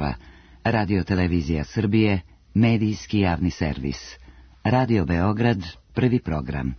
časova. Radio Televizija Srbije, medijski javni servis. Radio Beograd, prvi program.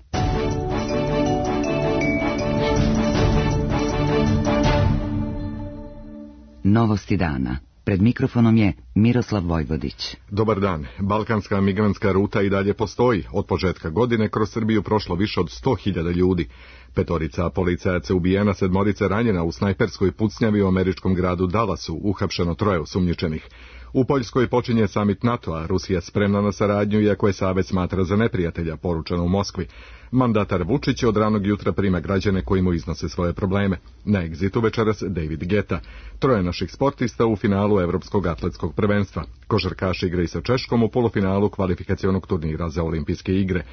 Novosti dana. Pred mikrofonom je Miroslav Vojvodić. Dobar dan. Balkanska migrantska ruta i dalje postoji. Od početka godine kroz Srbiju prošlo više od 100.000 ljudi. 5 policajaca ubijena, 7 ranjena u snajperskoj pucnjavi u američkom gradu Dallasu, uhapšeno 3 osumnjičenih. U Poljskoj počinje samit NATO-a, Rusija spremna na saradnju, iako je savez smatra za neprijatelja, poručeno u Moskvi. Mandatar Vučić od ranog jutra prima građane koji mu iznose svoje probleme. Na egzitu večeras David Geta. 3 naših sportista u finalu Evropskog atletskog prvenstva. Košarkaši igraju sa Češkom u polufinalu kvalifikacionog turnira za olimpijske igre.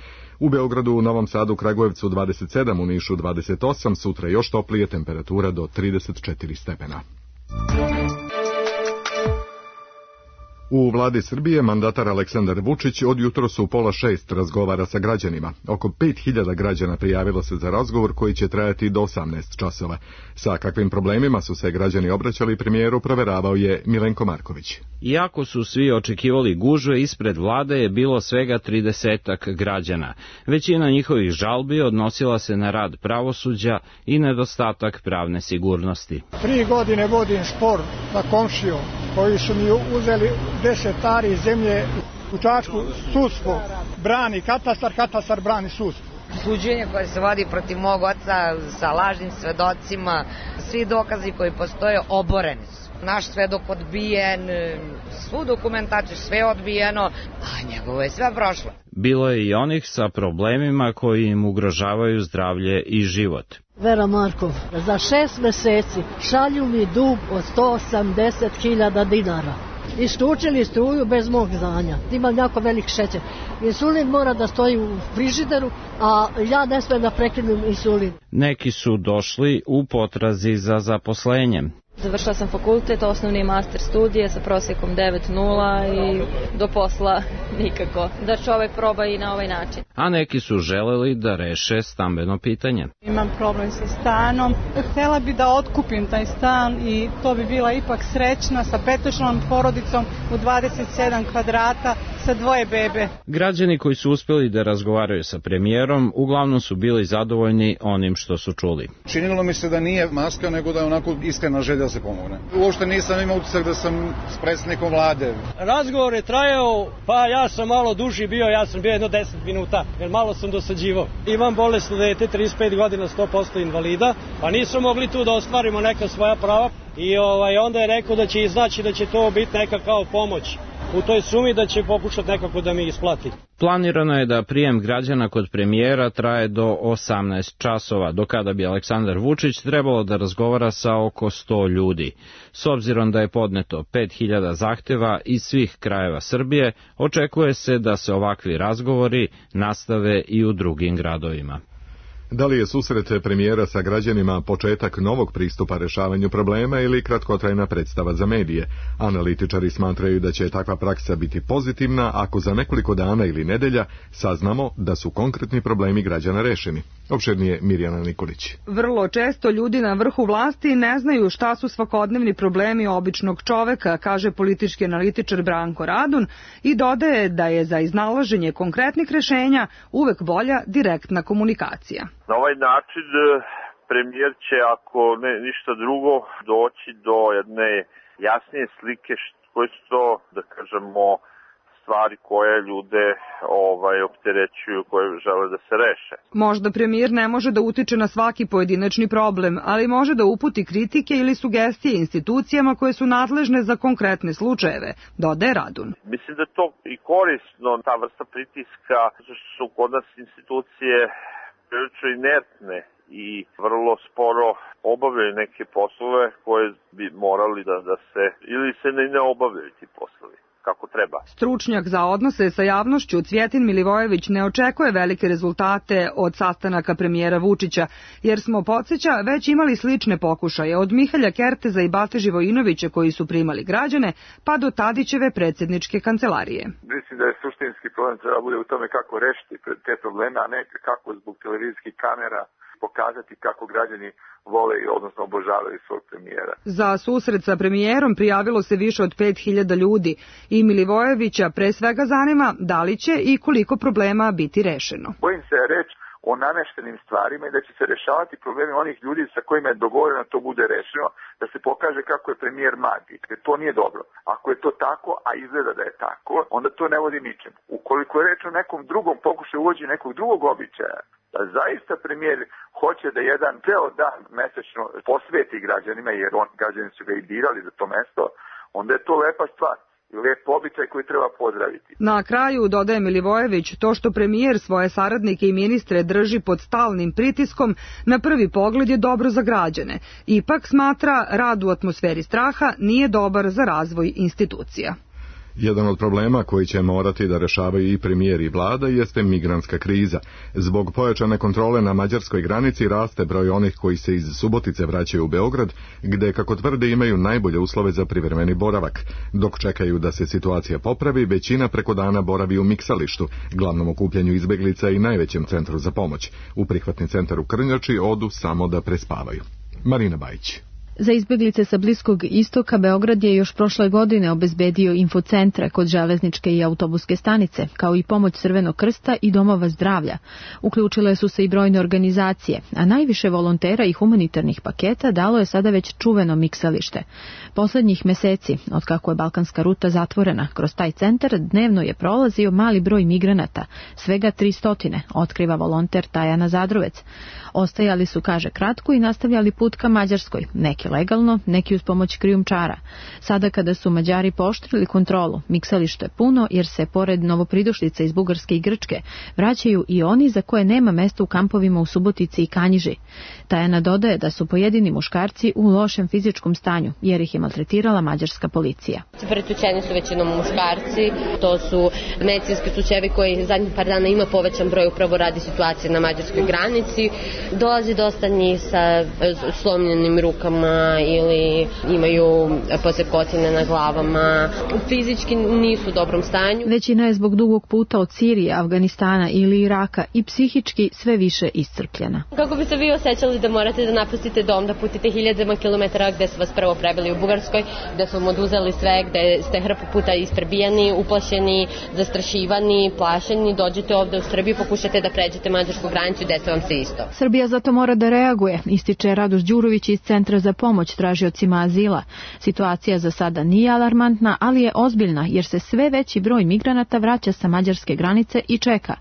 U Beogradu, u Novom Sadu, Kragujevcu 27, u Nišu 28, sutra još toplije, temperatura do 34 stepena. U vladi Srbije mandatar Aleksandar Vučić od jutros u 5:30 razgovara sa građanima. Oko 5.000 građana prijavilo se za razgovor koji će trajati do 18 časova. Sa kakvim problemima su se građani obraćali premijeru, proveravao je Milenko Marković. Iako su svi očekivali gužve, ispred vlade je bilo svega 30 građana. Većina njihovih žalbi odnosila se na rad pravosuđa i nedostatak pravne sigurnosti. 3 godine vodim spor sa komšijom koji su mi uzeli 10 ari zemlje u Čačku. Sudstvo brani katastar, katastar brani sudstvo. Suđenje koje se vodi protiv mog oca sa lažnim svedocima, svi dokazi koji postoje oboreni su. Naš svedok odbijen, svu dokumentaciju, sve odbijeno, a njegovo je sve prošlo. Bilo je i onih sa problemima koji im ugrožavaju zdravlje i život. Vera Markov, za 6 meseci šalju mi dug od 180.000 dinara. Isključili struju bez mog znanja. Imam jako velik šećer. Insulin mora da stoji u frižideru, a ja ne smijem da prekinem insulin. Neki su došli u potrazi za zaposlenjem. Završila sam fakultet, osnovni master studije sa prosjekom 9.0 i do posla nikako. Da čovek proba i na ovaj način. A neki su želeli da reše stambeno pitanje. Imam problem sa stanom. Htela bi da otkupim taj stan i to bi bila ipak srećna sa 5-članom porodicom u 27 kvadrata sa 2 bebe. Građani koji su uspjeli da razgovaraju sa premijerom uglavnom su bili zadovoljni onim što su čuli. Činilo mi se da nije maska, nego da je onako iskrena želja da se pomogne. Uopšte nisam imao utisak da sam s predsjednikom vlade. Razgovor je trajao, pa ja sam malo duži bio, ja sam bio jedno 10 minuta, jer malo sam dosađivao. Imam bolesno dete, 35 godina, 100% invalida, pa nisu mogli tu da ostvarimo neka svoja prava i onda je rekao da će iznaći da će to biti neka kao pomoć u toj sumi, da će pokušati nekako da mi isplati. Planirano je da prijem građana kod premijera traje do 18 časova, do kada bi Aleksandar Vučić trebalo da razgovara sa oko 100 ljudi. S obzirom da je podneto 5.000 zahteva iz svih krajeva Srbije, očekuje se da se ovakvi razgovori nastave i u drugim gradovima. Da li je susret premijera sa građanima početak novog pristupa rešavanju problema ili kratkotrajna predstava za medije? Analitičari smatraju da će takva praksa biti pozitivna ako za nekoliko dana ili nedelja saznamo da su konkretni problemi građana rešeni. Opširnije Mirjana Nikolić. Vrlo često ljudi na vrhu vlasti ne znaju šta su svakodnevni problemi običnog čoveka, kaže politički analitičar Branko Radun i dodaje da je za iznalaženje konkretnih rešenja uvek bolja direktna komunikacija. Na ovaj način premijer će, ako ne ništa drugo, doći do jedne jasnije slike koje su to, da kažemo, stvari koje ljude opterećuju, koje žele da se reše. Možda premijer ne može da utiče na svaki pojedinačni problem, ali može da uputi kritike ili sugestije institucijama koje su nadležne za konkretne slučajeve, dodaje Radun. Mislim da je to i korisno, ta vrsta pritiska, zato što su kod nas institucije prilično inertne i vrlo sporo obavljaju neke poslove koje bi morali da se, ili se ne obavljaju ti poslovi kako treba. Stručnjak za odnose sa javnošću Cvjetin Milivojević ne očekuje velike rezultate od sastanaka premijera Vučića, jer smo, podsjeća, već imali slične pokušaje od Mihalja Kerteza i Bate Živojinovića koji su primali građane, pa do Tadićeve predsjedničke kancelarije. Mislim da je suštinski problem treba bude u tome kako rešiti te probleme, a ne kako zbog televizijskih kamera pokazati kako građani vole i odnosno obožavaju svog premijera. Za susret sa premijerom prijavilo se više od 5000 ljudi i Milivojevića pre svega zanima da li će i koliko problema biti rešeno. Bojim se reći o nameštenim stvarima i da će se rešavati problemi onih ljudi sa kojima je dogovoreno da to bude rešeno, da se pokaže kako je premijer magik. To nije dobro. Ako je to tako, a izgleda da je tako, onda to ne vodi ničemu. Ukoliko je reč o nekom drugom pokušaju uvođenja nekog drugog običaja, da zaista premijer hoće da jedan ceo dan mesečno posveti građanima, jer građani su ga i birali za to mesto, onda je to lepa stvar. Lep običaj koji treba pozdraviti. Na kraju, dodaje Milivojević, to što premijer svoje saradnike i ministre drži pod stalnim pritiskom, na prvi pogled je dobro za građane. Ipak smatra, rad u atmosferi straha nije dobar za razvoj institucija. Jedan od problema koji će morati da rešavaju i premijer i vlada jeste migrantska kriza. Zbog pojačane kontrole na mađarskoj granici raste broj onih koji se iz Subotice vraćaju u Beograd, gde, kako tvrde, imaju najbolje uslove za privremeni boravak. Dok čekaju da se situacija popravi, većina preko dana boravi u Miksalištu, glavnom okupljanju izbeglica i najvećem centru za pomoć. U prihvatni centar u Krnjači odu samo da prespavaju. Marina Bajić. Za izbeglice sa Bliskog istoka Beograd je još prošle godine obezbedio infocentre kod železničke i autobuske stanice, kao i pomoć Crvenog krsta i domova zdravlja. Uključile su se i brojne organizacije, a najviše volontera i humanitarnih paketa dalo je sada već čuveno Miksalište. Poslednjih meseci, otkako je balkanska ruta zatvorena, kroz taj centar dnevno je prolazio mali broj migranata, svega 300, otkriva volonter Tajana Zadrovec. Ostajali su, kaže, kratko i nastavljali put ka Mađarskoj, neki legalno, neki uz pomoć krijumčara. Sada kada su Mađari pooštrili kontrolu, Miksalište je puno jer se, pored novopridošlica iz Bugarske i Grčke, vraćaju i oni za koje nema mesta u kampovima u Subotici i Kanjiži. Tajana dodaje da su pojedini muškarci u lošem fizičkom stanju, jer ih je maltretirala mađarska policija. Pretučeni su većinom muškarci, to su medicinski slučajevi koji zadnjih par dana ima povećan broj upravo radi situacije na mađarskoj granici. Dolazi dosta njih sa slomljenim rukama ili imaju posekotine na glavama. Fizički nisu u dobrom stanju. Većina je zbog dugog puta od Sirije, Afganistana ili Iraka i psihički sve više iscrpljena. Kako bi se vi osjećali da morate da napustite dom, da putite hiljadama kilometara gde su vas prvo prebili u Bugarskoj, gde su vam oduzeli sve, gde ste hrpu puta isprebijani, uplašeni, zastrašivani, plašeni, dođete ovde u Srbiju, pokušate da pređete mađarsku granicu i desi vam se isto. Srbija zato mora da reaguje, ističe Radoš Đurović iz Centra za pomoć tražiocima azila. Situacija za sada nije alarmantna, ali je ozbiljna jer se sve veći broj migranata vraća sa mađarske granice i čeka.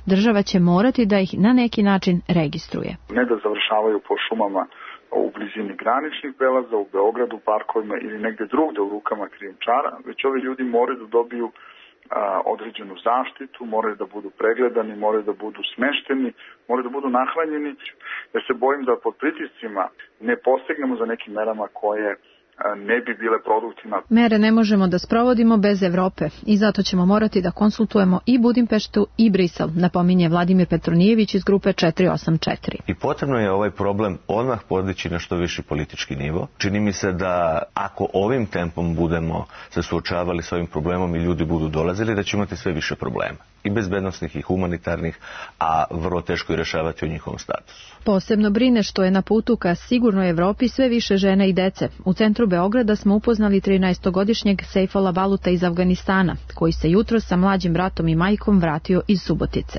Država će morati da ih na neki način registruje. Ne da završavaju po šumama u blizini graničnih prelaza, u Beogradu, parkovima ili negde drugde u rukama krijumčara, već ovi ljudi moraju da dobiju određenu zaštitu, moraju da budu pregledani, moraju da budu smešteni, moraju da budu nahranjeni. Ja se bojim da pod pritiscima ne postignemo za nekim merama koje ne bi bile produktivne. Mere ne možemo da sprovodimo bez Evrope i zato ćemo morati da konsultujemo i Budimpeštu i Brisel, napominje Vladimir Petronijević iz grupe 484. I potrebno je ovaj problem odmah podići na što viši politički nivo. Čini mi se da ako ovim tempom budemo se suočavali s ovim problemom i ljudi budu dolazili, da ćemo imati sve više problema. I bezbednosnih i humanitarnih, a vrlo teško je rešavati o njihovom statusu. Posebno brine što je na putu ka sigurnoj Evropi sve više žena i dece. U centru Beograda smo upoznali 13-godišnjeg Sejfola Baluta iz Afganistana, koji se jutros sa mlađim bratom i majkom vratio iz Subotice.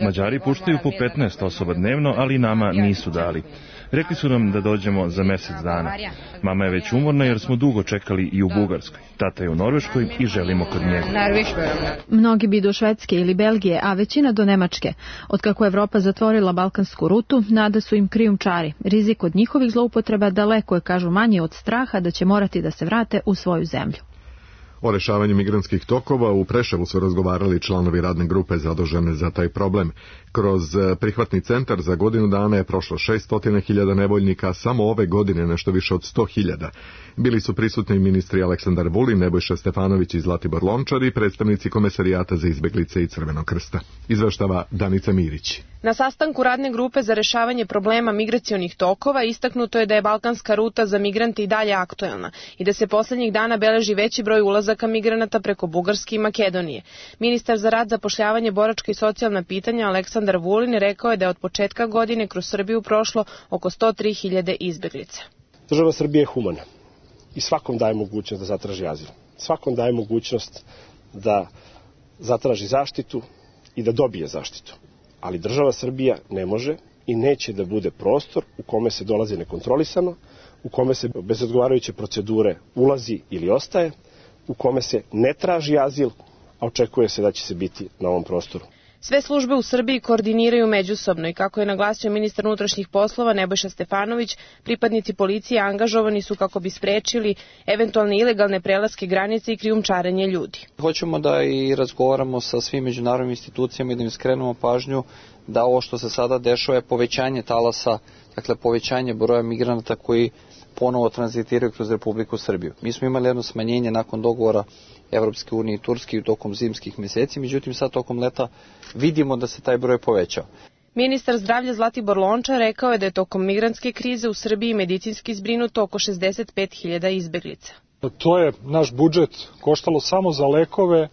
Mađari puštaju po 15 osoba dnevno, ali nama nisu dali. Rekli su nam da dođemo za mesec dana. Mama je već umorna jer smo dugo čekali i u Bugarskoj. Tata je u Norveškoj i želimo kod njega. Mnogi bi do Švedske ili Belgije, a većina do Nemačke. Otkako Evropa zatvorila balkansku rutu, nada su im krijumčari. Rizik od njihovih zloupotreba daleko je, kažu, manje od straha da će morati da se vrate u svoju zemlju. O rešavanju migrantskih tokova u Preševu su razgovarali članovi radne grupe zadužene za taj problem. Kroz prihvatni centar za godinu dana je prošlo 600.000 nevoljnika, samo ove godine nešto više od 100.000. Bili su prisutni ministri Aleksandar Vulin, Nebojša Stefanović i Zlatibor Lončar i predstavnici Komesarijata za izbeglice i Crvenog krsta. Izveštava Danica Mirić. Na sastanku radne grupe za rešavanje problema migracionih tokova istaknuto je da je balkanska ruta za migrante i dalje aktuelna i da se poslednjih dana beleži veći broj ulazaka migranata preko Bugarske i Makedonije. Ministar za rad, zapošljavanje, boračka i socijalna pitanja Aleksandar Aleksandar Vulin rekao je da je od početka godine kroz Srbiju prošlo oko 103.000 izbeglica. Država Srbije je humana i svakom daje mogućnost da zatraži azil. Svakom daje mogućnost da zatraži zaštitu i da dobije zaštitu. Ali država Srbija ne može i neće da bude prostor u kome se dolazi nekontrolisano, u kome se bez odgovarajuće procedure ulazi ili ostaje, u kome se ne traži azil, a očekuje se da će se biti na ovom prostoru. Sve službe u Srbiji koordiniraju međusobno i kako je naglasio ministar unutrašnjih poslova Nebojša Stefanović, pripadnici policije angažovani su kako bi sprečili eventualne ilegalne prelaske granice i krijumčarenje ljudi. Hoćemo da i razgovaramo sa svim međunarodnim institucijama i da im skrenemo pažnju da ovo što se sada dešava je povećanje talasa, dakle povećanje broja migranata koji ponovo tranzitiraju kroz Republiku Srbiju. Mi smo imali jedno smanjenje nakon dogovora Evropske unije i Turske tokom zimskih meseci, međutim sad tokom leta vidimo da se taj broj povećao. Ministar zdravlja Zlatibor Lončar rekao je da je tokom migrantske krize u Srbiji medicinski zbrinuto oko 65.000 izbeglica. To je naš budžet koštalo samo za lekove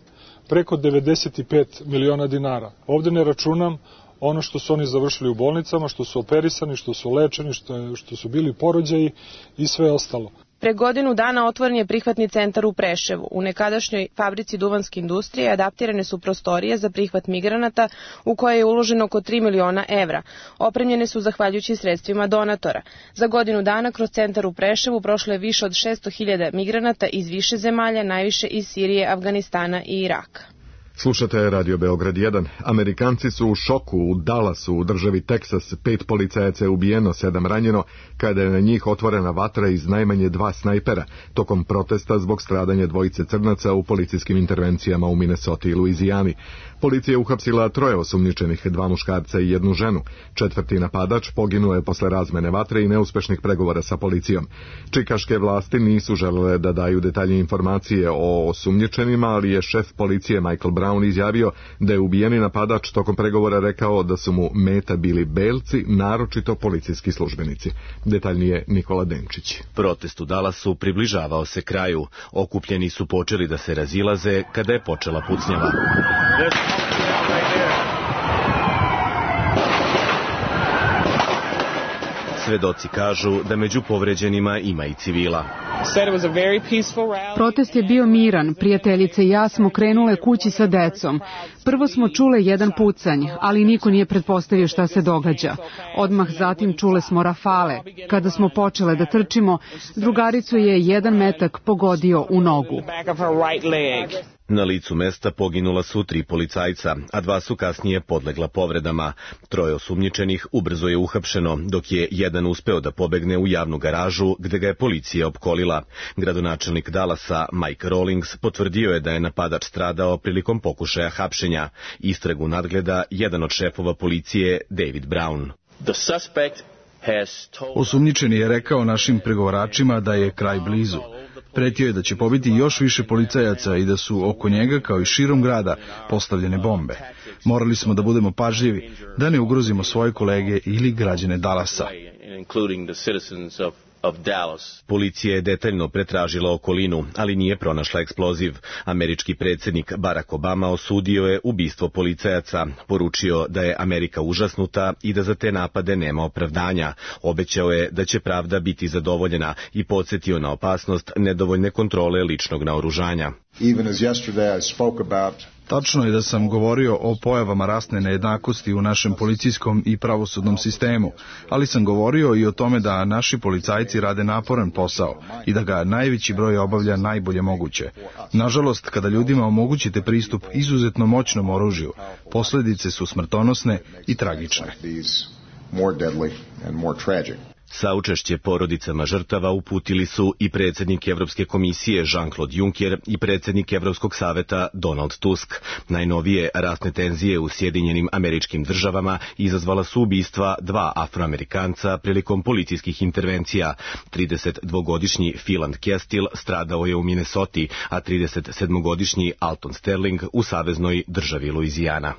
preko 95 miliona dinara. Ovde ne računam ono što su oni završili u bolnicama, što su operisani, što su lečeni, što su bili porođaji i sve ostalo. Pre godinu dana otvoren je prihvatni centar u Preševu. U nekadašnjoj fabrici duvanske industrije adaptirane su prostorije za prihvat migranata u koje je uloženo oko 3 miliona evra. Opremljene su zahvaljujući sredstvima donatora. Za godinu dana kroz centar u Preševu prošlo je više od 600.000 migranata iz više zemalja, najviše iz Sirije, Afganistana i Iraka. Slušate Radio Beograd 1. Amerikanci su u šoku u Dallasu u državi Teksas. 5 policajaca je ubijeno, 7 ranjeno, kada je na njih otvorena vatra iz najmanje 2 snajpera, tokom protesta zbog stradanja dvojice crnaca u policijskim intervencijama u Minnesoti i Luizijani. Policija je uhapsila 3 osumnjičenih, 2 muškarca i 1 ženu. 4. napadač poginuo je posle razmene vatre i neuspešnih pregovora sa policijom. Čikaške vlasti nisu želele da daju detaljne informacije o osumnjičenima, ali je šef policije Michael Brown izjavio da je ubijeni napadač tokom pregovora rekao da su mu meta bili belci, naročito policijski službenici. Detaljnije Nikola Denčić. Protest u Dallasu približavao se kraju. Okupljeni su počeli da se razilaze kada je počela pucnjava. Svedoci kažu da među povređenima ima i civila. Protest je bio miran, prijateljice i ja smo krenule kući sa decom. Prvo smo čule jedan pucanj, ali niko nije pretpostavio šta se događa. Odmah zatim čule smo rafale. Kada smo počele da trčimo, drugaricu je jedan metak pogodio u nogu. Na licu mesta poginula su 3 policajca, a 2 su kasnije podlegla povredama. 3 osumnjičenih ubrzo je uhapšeno, dok je jedan uspeo da pobegne u javnu garažu gde ga je policija opkolila. Gradonačelnik Dallasa Mike Rawlings potvrdio je da je napadač stradao prilikom pokušaja hapšenja. Istragu nadgleda jedan od šefova policije, David Brown. Osumnjičeni je rekao našim pregovaračima da je kraj blizu. Pretio je da će pobiti još više policajaca i da su oko njega, kao i širom grada, postavljene bombe. Morali smo da budemo pažljivi, da ne ugrozimo svoje kolege ili građane Dallasa. Policija je detaljno pretražila okolinu, ali nije pronašla eksploziv. Američki predsjednik Barack Obama osudio je ubistvo policajaca, poručio da je Amerika užasnuta i da za te napade nema opravdanja. Obećao je da će pravda biti zadovoljena i podsjetio na opasnost nedovoljne kontrole ličnog naoružanja. Tačno je da sam govorio o pojavama rasne nejednakosti u našem policijskom i pravosudnom sistemu, ali sam govorio i o tome da naši policajci rade naporan posao i da ga najveći broj obavlja najbolje moguće. Nažalost, kada ljudima omogućite pristup izuzetno moćnom oružju, posljedice su smrtonosne i tragične. Saučešće porodicama žrtava uputili su i predsjednik Evropske komisije Jean-Claude Juncker i predsjednik Evropskog saveta Donald Tusk. Najnovije rasne tenzije u Sjedinjenim Američkim Državama izazvala su ubistva 2 Afroamerikanca prilikom policijskih intervencija. 32-godišnji Philand Kestil stradao je u Minnesoti, a 37-godišnji Alton Sterling u saveznoj državi Luizijana.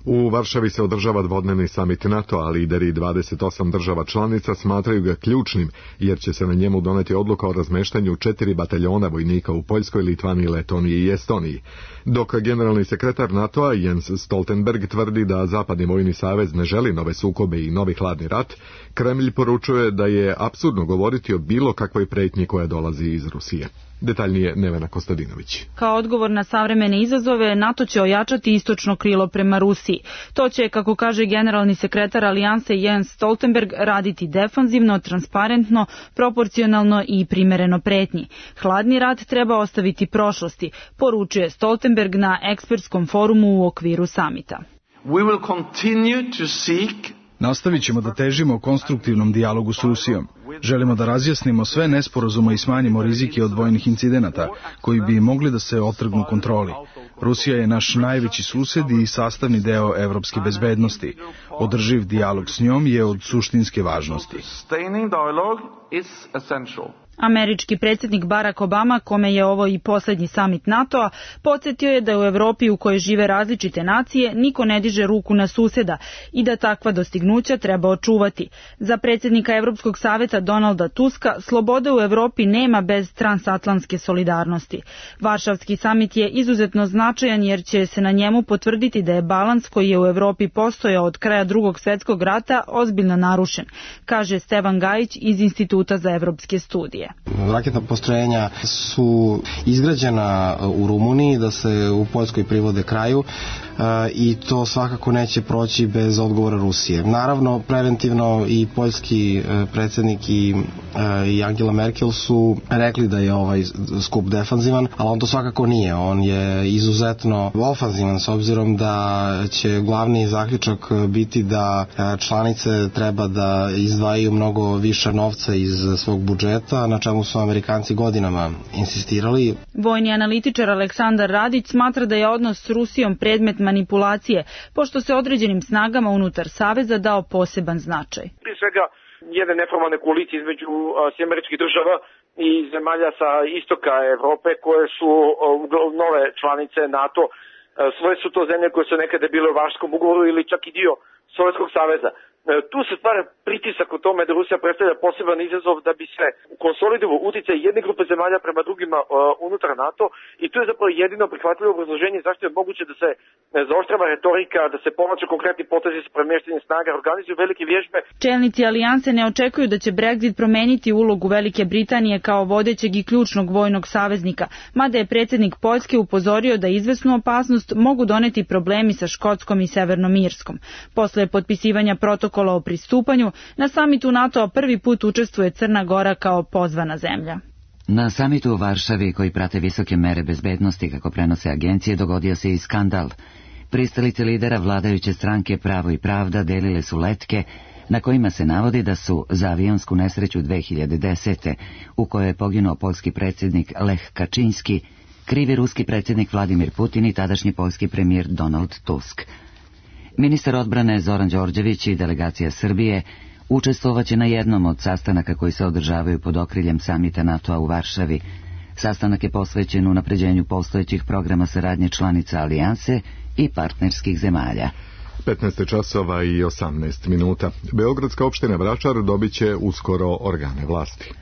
U Varšavi se održava dvodnevni samit NATO, a lideri 28 država članica smatraju ga ključnim, jer će se na njemu doneti odluka o razmeštanju 4 bataljona vojnika u Poljskoj, Litvaniji, Letoniji i Estoniji. Dok generalni sekretar NATO-a Jens Stoltenberg tvrdi da Zapadni vojni savez ne želi nove sukobe i novi hladni rat, Kremlj poručuje da je apsurdno govoriti o bilo kakvoj pretnji koja dolazi iz Rusije. Detaljnije Nevena Kostadinović. Kao odgovor na savremene izazove, NATO će ojačati istočno krilo prema Rusiji. To će, kako kaže generalni sekretar Alijanse Jens Stoltenberg, raditi defanzivno, transparentno, proporcionalno i primereno pretnji. Hladni rat treba ostaviti prošlosti, poručuje Stoltenberg na ekspertskom forumu u okviru samita. Nastavit ćemo da težimo konstruktivnom dijalogu s Rusijom. Želimo da razjasnimo sve nesporazume i smanjimo rizike od vojnih incidenata, koji bi mogli da se otrgnu kontroli. Rusija je naš najveći sused i sastavni deo evropske bezbednosti. Održiv dijalog s njom je od suštinske važnosti. Američki predsjednik Barack Obama, kome je ovo i posljednji samit NATO-a, podsjetio je da u Evropi u kojoj žive različite nacije niko ne diže ruku na suseda i da takva dostignuća treba očuvati. Za predsjednika Evropskog saveta Donalda Tuska, slobode u Evropi nema bez transatlantske solidarnosti. Varšavski samit je izuzetno značajan jer će se na njemu potvrditi da je balans koji je u Evropi postojao od kraja Drugog svjetskog rata ozbiljno narušen, kaže Stevan Gajić iz Instituta za evropske studije. Raketna postrojenja su izgrađena u Rumuniji, da se u Poljskoj privode kraju i to svakako neće proći bez odgovora Rusije. Naravno, preventivno i poljski predsjednik i Angela Merkel su rekli da je ovaj skup defanzivan, ali on to svakako nije. On je izuzetno ofanzivan s obzirom da će glavni zaključak biti da članice treba da izdvajaju mnogo više novca iz svog budžeta, na čemu su Amerikanci godinama insistirali. Vojni analitičar Aleksandar Radić smatra da je odnos s Rusijom predmet manipulacije, pošto se određenim snagama unutar saveza dao poseban značaj. Prije svega, jedne neformalne koalicije između Američkih država i zemalja sa istoka Evrope, koje su nove članice NATO. Svoje su to zemlje koje su nekada bile u Varšavskom ugovoru ili čak i dio Sovjetskog saveza. Tu se stvara pritisak o tome da Rusija predstavlja poseban izazov da bi se konsolidovao utjecaj jedne grupe zemalja prema drugima unutar NATO i to je zapravo jedino prihvatljivo obrazloženje zašto je moguće da se zaoštrava retorika, da se povlače konkretni potezi sa premještanjem snaga, organizuju velike vježbe. Čelnici alijanse ne očekuju da će Brexit promeniti ulogu Velike Britanije kao vodećeg i ključnog vojnog saveznika, mada je predsjednik Poljske upozorio da izvesnu opasnost mogu doneti problemi sa Škotskom i Severnom Irskom. Posle potpisivanja protokola o pristupanju, na samitu NATO prvi put učestvuje Crna Gora kao pozvana zemlja. Na samitu u Varšavi, koji prate visoke mere bezbednosti, kako prenose agencije, dogodio se i skandal. Pristalice lidera vladajuće stranke Pravo i pravda delile su letke na kojima se navodi da su za avionsku nesreću 2010. u kojoj je poginuo poljski predsjednik Lech Kaczynski, krivi ruski predsjednik Vladimir Putin i tadašnji poljski premijer Donald Tusk. Ministar odbrane Zoran Đorđević i delegacija Srbije učestvovaće na jednom od sastanaka koji se održavaju pod okriljem samita NATO-a u Varšavi. Sastanak je posvećen unapređenju postojećih programa saradnje članica alijanse i partnerskih zemalja. 15 časova i 18 minuta. Beogradska opština Vračar dobit će uskoro organe vlasti.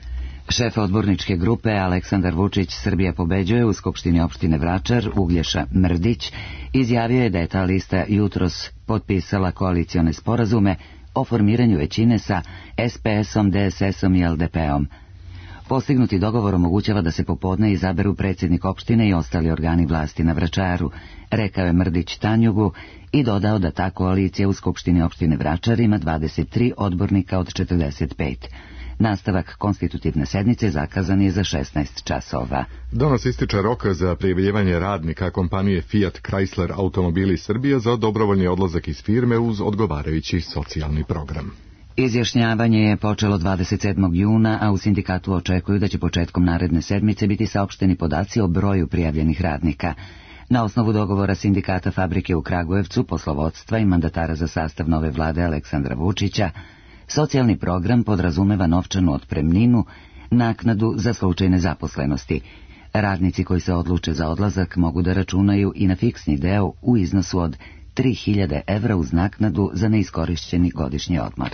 Šef odborničke grupe Aleksandar Vučić Srbija pobeđuje u Skupštini opštine Vračar Uglješa Mrdić izjavio je da je ta lista jutros potpisala koalicione sporazume o formiranju većine sa SPS-om, DSS-om i LDP-om. Postignuti dogovor omogućava da se popodne izaberu predsjednik opštine i ostali organi vlasti na Vračaru, rekao je Mrdić Tanjugu i dodao da ta koalicija u Skupštini opštine Vračar ima 23 odbornika od 45. Nastavak konstitutivne sednice zakazan je za 16 časova. Danas ističe rok za prijavljivanje radnika kompanije Fiat Chrysler Automobili Srbija za dobrovoljni odlazak iz firme uz odgovarajući socijalni program. Izjašnjavanje je počelo 27. juna, a u sindikatu očekuju da će početkom naredne sedmice biti saopšteni podaci o broju prijavljenih radnika. Na osnovu dogovora sindikata fabrike u Kragujevcu, poslovodstva i mandatara za sastav nove vlade Aleksandra Vučića, socijalni program podrazumeva novčanu otpremninu, naknadu za slučaj nezaposlenosti. Radnici koji se odluče za odlazak mogu da računaju i na fiksni deo u iznosu od 3.000 evra uz naknadu za neiskorišćeni godišnji odmor.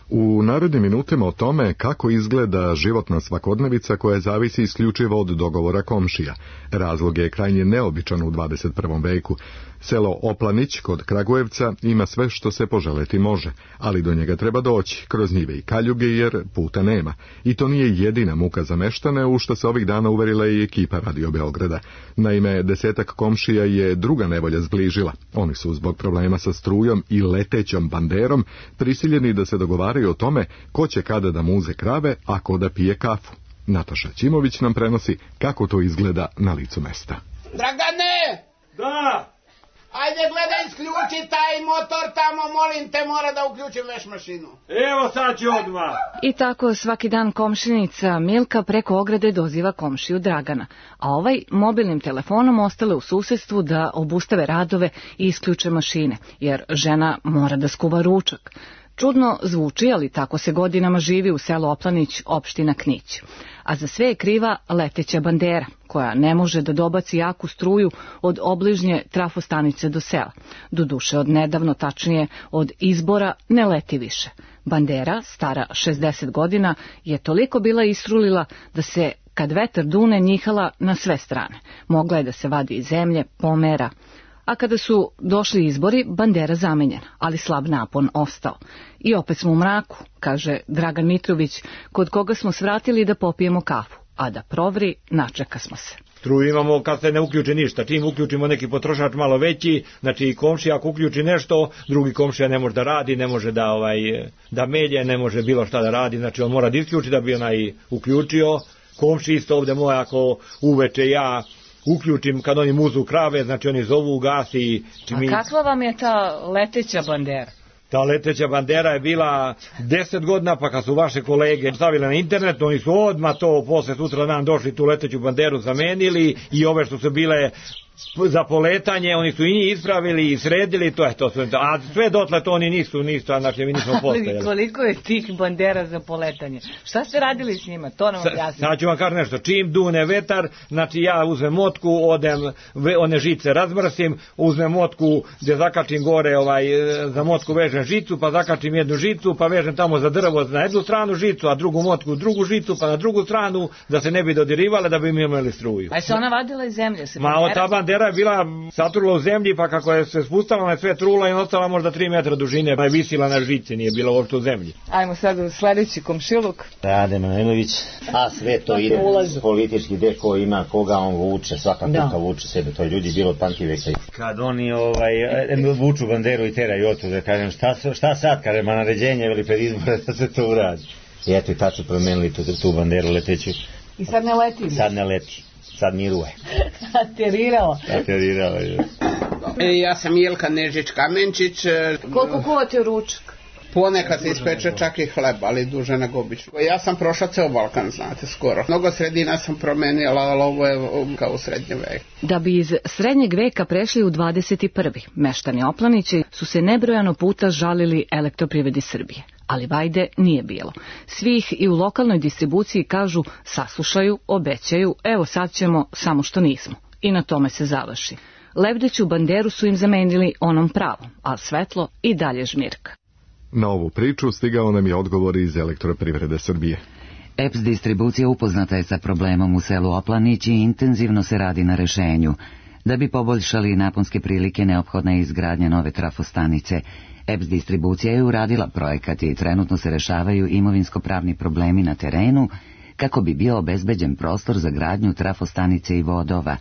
U narednim minutama o tome kako izgleda životna svakodnevica koja zavisi isključivo od dogovora komšija. Razlog je krajnje neobičan u 21. veku. Selo Oplanić kod Kragujevca ima sve što se poželeti može, ali do njega treba doći kroz njive i kaljuge jer puta nema. I to nije jedina muka za meštane, u što se ovih dana uverila i ekipa Radio Beograda. Naime, 10 komšija je druga nevolja zbližila. Oni su zbog problema sa strujom i letećom banderom prisiljeni da se dogovaraju o tome ko će kada da muze krave, a ko da pije kafu. Nataša Ćimović nam prenosi kako to izgleda na licu mesta. Dragane! Da! Ajde gledaj, isključi taj motor tamo, molim te, mora da uključim veš mašinu. Evo sad ću odmah. I tako svaki dan komšinica Milka preko ograde doziva komšiju Dragana, a ovaj mobilnim telefonom ostale u susedstvu da obustave radove i isključe mašine, jer žena mora da skuva ručak. Čudno zvuči, ali tako se godinama živi u selu Oplanić, opština Knić. A za sve je kriva leteća bandera, koja ne može da dobaci jaku struju od obližnje trafostanice do sela. Doduše od nedavno, tačnije od izbora, ne leti više. Bandera, stara 60 godina, je toliko bila isrulila da se, kad vetar dune, njihala na sve strane. Mogla je da se vadi iz zemlje, pomera. A kada su došli izbori, bandera zamenjena, ali slab napon ostao. I opet smo u mraku, kaže Dragan Mitrović, kod koga smo svratili da popijemo kafu, a da provri, načeka smo se. Struju imamo kad se ne uključi ništa. Čim uključimo neki potrošač malo veći, znači komšija ako uključi nešto, drugi komšija ne može da radi, ne može da melje, ne može bilo šta da radi, znači on mora da isključi da bi onaj uključio. Komši isto ovde moj, ako uveče ja uključim kad oni muzu krave, znači oni zovu u gas i... A kakva vam je ta leteća bandera? Ta leteća bandera je bila 10 godina, pa kad su vaše kolege stavile na internet, oni su odmah to posle sutra dan došli tu leteću banderu zamenili i ove što su bile za poletanje, oni su i njih ispravili i sredili, to je to sve. A sve dotle to oni nisu, znači mi nismo postojali. Ali koliko je tih bandera za poletanje? Šta ste radili s njima? To nam objasnite. Sad ću vam kažem nešto. Čim dune vetar, znači ja uzmem motku, odem, one žice razmrsim, uzmem motku gde zakačim gore, za motku vežem žicu, pa zakačim jednu žicu, pa vežem tamo za drvo na jednu stranu žicu, a drugu motku drugu žicu, pa na drugu stranu, da se ne bi dodirivale, da bi mi imali struju. A se ona vadila iz zemlje? Bandera je bila saturila u zemlji, pa kako je se spustala na sve trula i ostala možda 3 metra dužine, pa je visila na žici, nije bila uopšte u zemlji. Ajmo sad u sledeći komšiluk. Rade Manojlović, a sve to ide politički, gde ko ima, koga on vuče, svaka kuka vuče sebe, to je ljudi bilo od pamti veka. Kad oni vuču banderu i teraju otu, da kažem, šta sad, kaže, ma naređenje veli pred izbore da se to uradi. I eto i tad su promenili tu banderu leteću. I sad ne leti? Sad ne leti. Sad miruje. Aterirala. Ja sam Jelka Nežić-Kamenčić. Koliko kuvate ručak? Ponekad se ispeče čak i hleb, ali duže nego obično. Ja sam prošla ceo Balkan, znate, skoro. Mnogo sredina sam promenila, ali ovo je kao u srednjem veku. Da bi iz srednjeg veka prešli u 21. meštani Oplanići su se nebrojano puta žalili Elektroprivredi Srbije. Ali vajde nije bilo. Svi ih i u lokalnoj distribuciji kažu, saslušaju, obećaju, evo sad ćemo, samo što nismo. I na tome se završi. Lebdeću banderu su im zamenili onom pravom, a svetlo i dalje žmirka. Na ovu priču stigao nam je odgovor iz Elektroprivrede Srbije. EPS distribucija upoznata je sa problemom u selu Oplanić i intenzivno se radi na rešenju. Da bi poboljšali naponske prilike, neophodna je izgradnja nove trafostanice. EPS distribucija je uradila projekat i trenutno se rešavaju imovinsko-pravni problemi na terenu kako bi bio obezbeđen prostor za gradnju trafostanice i vodova.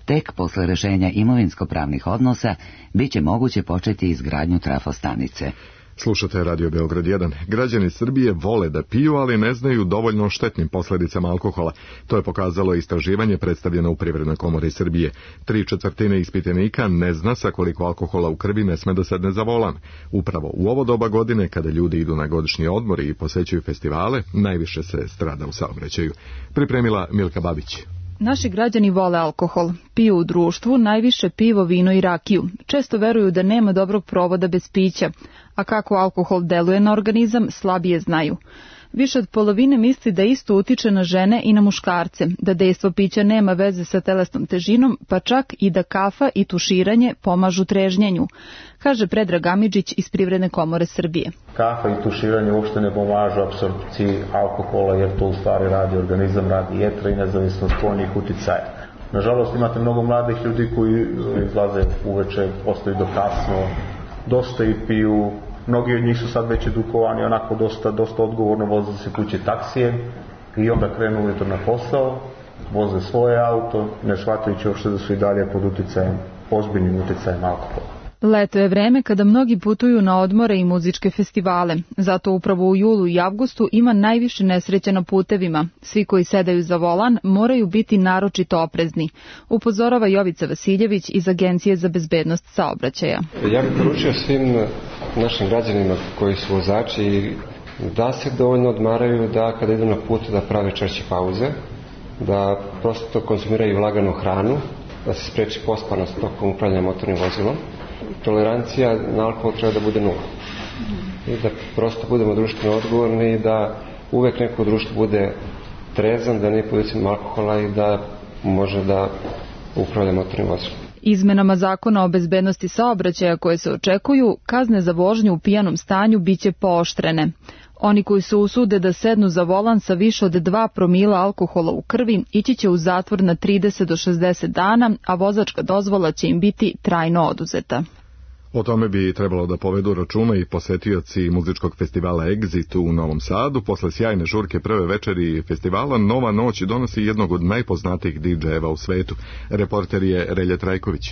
Tek posle rešenja imovinsko-pravnih odnosa biće moguće početi izgradnju trafostanice. Slušate Radio Beograd 1. Građani Srbije vole da piju, ali ne znaju dovoljno o štetnim posledicama alkohola. To je pokazalo istraživanje predstavljeno u Privrednoj komori Srbije. 3/4 ispitanika ne zna sa koliko alkohola u krvi ne sme da sedne za volan. Upravo u ovo doba godine, kada ljudi idu na godišnji odmor i posećuju festivale, najviše se strada u saobraćaju. Pripremila Milka Babić. Naši građani vole alkohol, piju u društvu, najviše pivo, vino i rakiju. Često veruju da nema dobrog provoda bez pića, a kako alkohol deluje na organizam, slabije znaju. Više od polovine misli da isto utiče na žene i na muškarce, da dejstvo pića nema veze sa telesnom težinom, pa čak i da kafa i tuširanje pomažu trežnjenju, kaže Predrag Amidžić iz Privredne komore Srbije. Kafa i tuširanje uopšte ne pomažu apsorpciji alkohola, jer to u stvari radi organizam, radi jetra i nezavisno od spoljnih uticaja. Nažalost, imate mnogo mladih ljudi koji izlaze uveče, ostaju do kasno, dosta i piju. Mnogi od njih su sad već edukovani, onako dosta odgovorno voze se kuće taksije i onda krenu ujutro na posao, voze svoje auto, ne shvatajući uopšte da su i dalje pod uticajem, ozbiljnim uticajem alkohola. Leto je vreme kada mnogi putuju na odmore i muzičke festivale. Zato upravo u julu i avgustu ima najviše nesreća na putevima. Svi koji sedaju za volan moraju biti naročito oprezni, upozorava Jovica Vasiljević iz Agencije za bezbednost saobraćaja. Ja bih poručio svim našim građanima koji su vozači da se dovoljno odmaraju, da kada idu na put da prave češće pauze, da prosto konzumiraju laganu hranu, da se spreči pospanost tokom upravljanja motornim vozilom. Tolerancija na alkohol treba da bude nula. I da prosto budemo društveno odgovorni i da uvek neko u društvu bude trezan, da ne podicima alkohola i da može da upravlja motornim vozilom. Izmenama zakona o bezbednosti saobraćaja koje se očekuju, kazne za vožnju u pijanom stanju biće pooštrene. Oni koji se usude da sednu za volan sa više od 2 promila alkohola u krvi ići će u zatvor na 30 do 60 dana, a vozačka dozvola će im biti trajno oduzeta. O tome bi trebalo da povedu računa i posetioci muzičkog festivala Exit u Novom Sadu. Posle sjajne žurke prve večeri festivala, Nova noć donosi jednog od najpoznatijih DJ-eva u svetu. Reporter je Relja Trajković.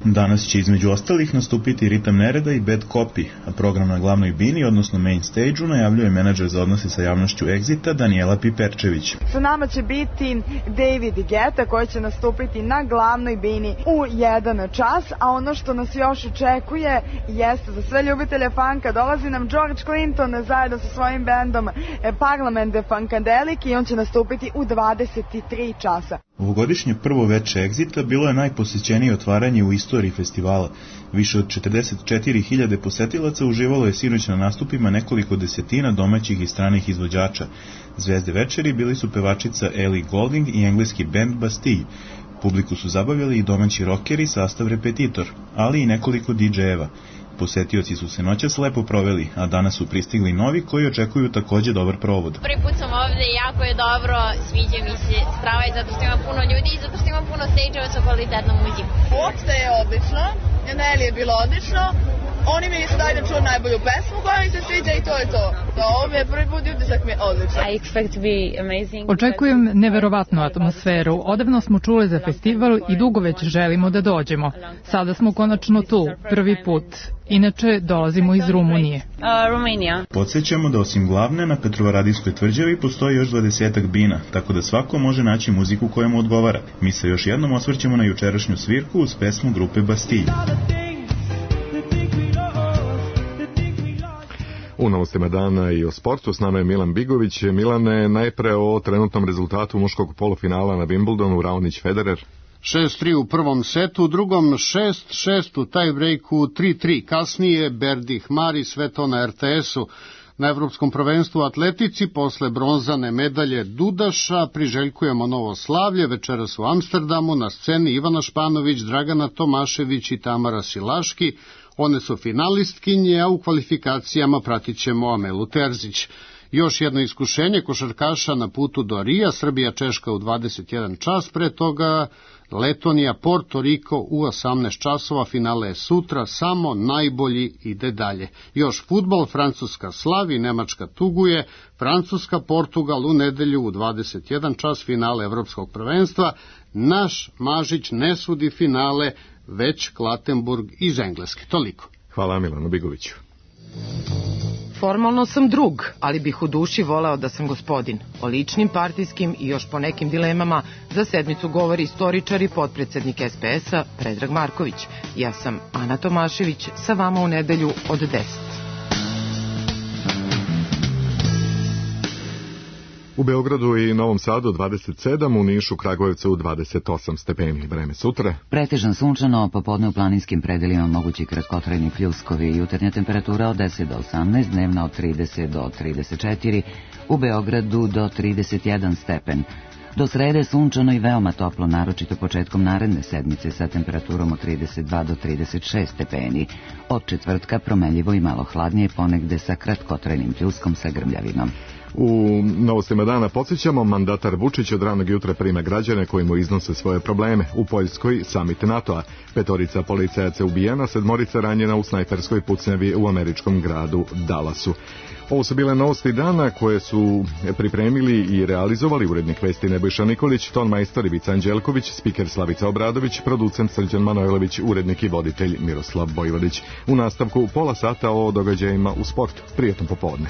Danas će između ostalih nastupiti Ritam Nereda i Bad Copy, a program na glavnoj bini, odnosno main stage-u, najavljuje menadžer za odnose sa javnošću Exita, Danijela Piperčević. Sa nama će biti David Guetta koji će nastupiti na glavnoj bini u 1 čas, a ono što nas još očekuje jeste za sve ljubitelje funka, dolazi nam George Clinton zajedno sa svojim bendom Parliament de Funkadelic i on će nastupiti u 23 časa. Ovogodišnje prvo veče Exita bilo je najposećenije otvaranje u istoriji festivala. Više od 44.000 posetilaca uživalo je sinoć na nastupima nekoliko desetina domaćih i stranih izvođača. Zvezde večeri bili su pevačica Ellie Goulding i engleski band Bastille. Publiku su zabavljali i domaći rockeri, sastav Repetitor, ali i nekoliko DJ-eva. Posetioci su se noćas lepo proveli, a danas su pristigli novi koji očekuju takođe dobar provod. Prvi put sam ovde i jako je dobro, sviđa mi se strava zato što ima puno ljudi i zato što ima puno stage-eva sa kvalitetnom muzikom. Uopšte je odlično, Neli je bilo odlično, oni mi nisu dali da čuo najbolju pesmu koja mi se sviđa i to je to. Ovo mi je prvi put i utisak mi je odlično. Očekujem neverovatnu atmosferu. Odavno smo čuli za festival i dugo već želimo da dođemo. Sada smo konačno tu, prvi put. Inače, dolazimo iz Rumunije. Podsjećamo da osim glavne na Petrovaradinskoj tvrđavi postoji još 20 bina, tako da svako može naći muziku koja mu odgovara. Mi se još jednom osvrćemo na jučerašnju svirku uz pesmu grupe Bastille. U novostima dana i o sportu s nama je Milan Bigović. Milane, najpre o trenutnom rezultatu muškog polufinala na Wimbledonu, Raonić Federer. 6-3 u prvom setu, u drugom 6-6 u tiebreaku, 3-3. Kasnije Berdih Mari, sve to na RTS-u. Na Evropskom prvenstvu u atletici posle bronzane medalje Dudaša priželjkujemo novo slavlje. Večeras u Amsterdamu na sceni Ivana Španović, Dragana Tomašević i Tamara Silaški. One su finalistkinje, a u kvalifikacijama pratit ćemo Amelu Terzić. Još jedno iskušenje košarkaša na putu do Rija, Srbija-Češka u 21 čas, pre toga Letonija-Porto Riko u 18 časova, finale je sutra, samo najbolji ide dalje. Još fudbal, Francuska slavi, Nemačka tuguje, Francuska-Portugal u nedelju u 21 čas, finale Evropskog prvenstva. Naš Mažić ne sudi finale, već Klatenburg iz Engleske. Toliko. Hvala Milanu Bigoviću. Formalno sam drug, ali bih u duši voleo da sam gospodin. O ličnim, partijskim i još po nekim dilemama za sedmicu govori istoričar i potpredsednik SPS-a Predrag Marković. Ja sam Ana Tomašević, sa vama u nedelju od 10. U Beogradu i Novom Sadu 27, u Nišu, Kragujevcu 28 stepeni. Vreme sutra. Pretežan sunčano, popodne u planinskim predelima mogući kratkotrajni pljuskovi, jutarnja temperatura od 10 do 18, dnevna od 30 do 34, u Beogradu do 31 stepen. Do srede sunčano i veoma toplo, naročito početkom naredne sedmice sa temperaturom od 32 do 36 stepeni. Od četvrtka promenljivo i malo hladnije, ponegde sa kratkotrajnim pljuskom sa grmljavinom. U novostima dana podsjećamo, mandatar Vučić od ranog jutra prima građane koji mu iznose svoje probleme. U Poljskoj samit NATO-a, 5 policajaca ubijena, 7 ranjena u snajperskoj pucnjavi u američkom gradu Dallasu. Ovo su bile novosti dana koje su pripremili i realizovali urednik vesti Nebojša Nikolić, ton majstor Ivica Anđelković, spiker Slavica Obradović, producent Srđan Manojlović, urednik i voditelj Miroslav Bojvodić. U nastavku pola sata o događajima u sportu. Prijetno popodne.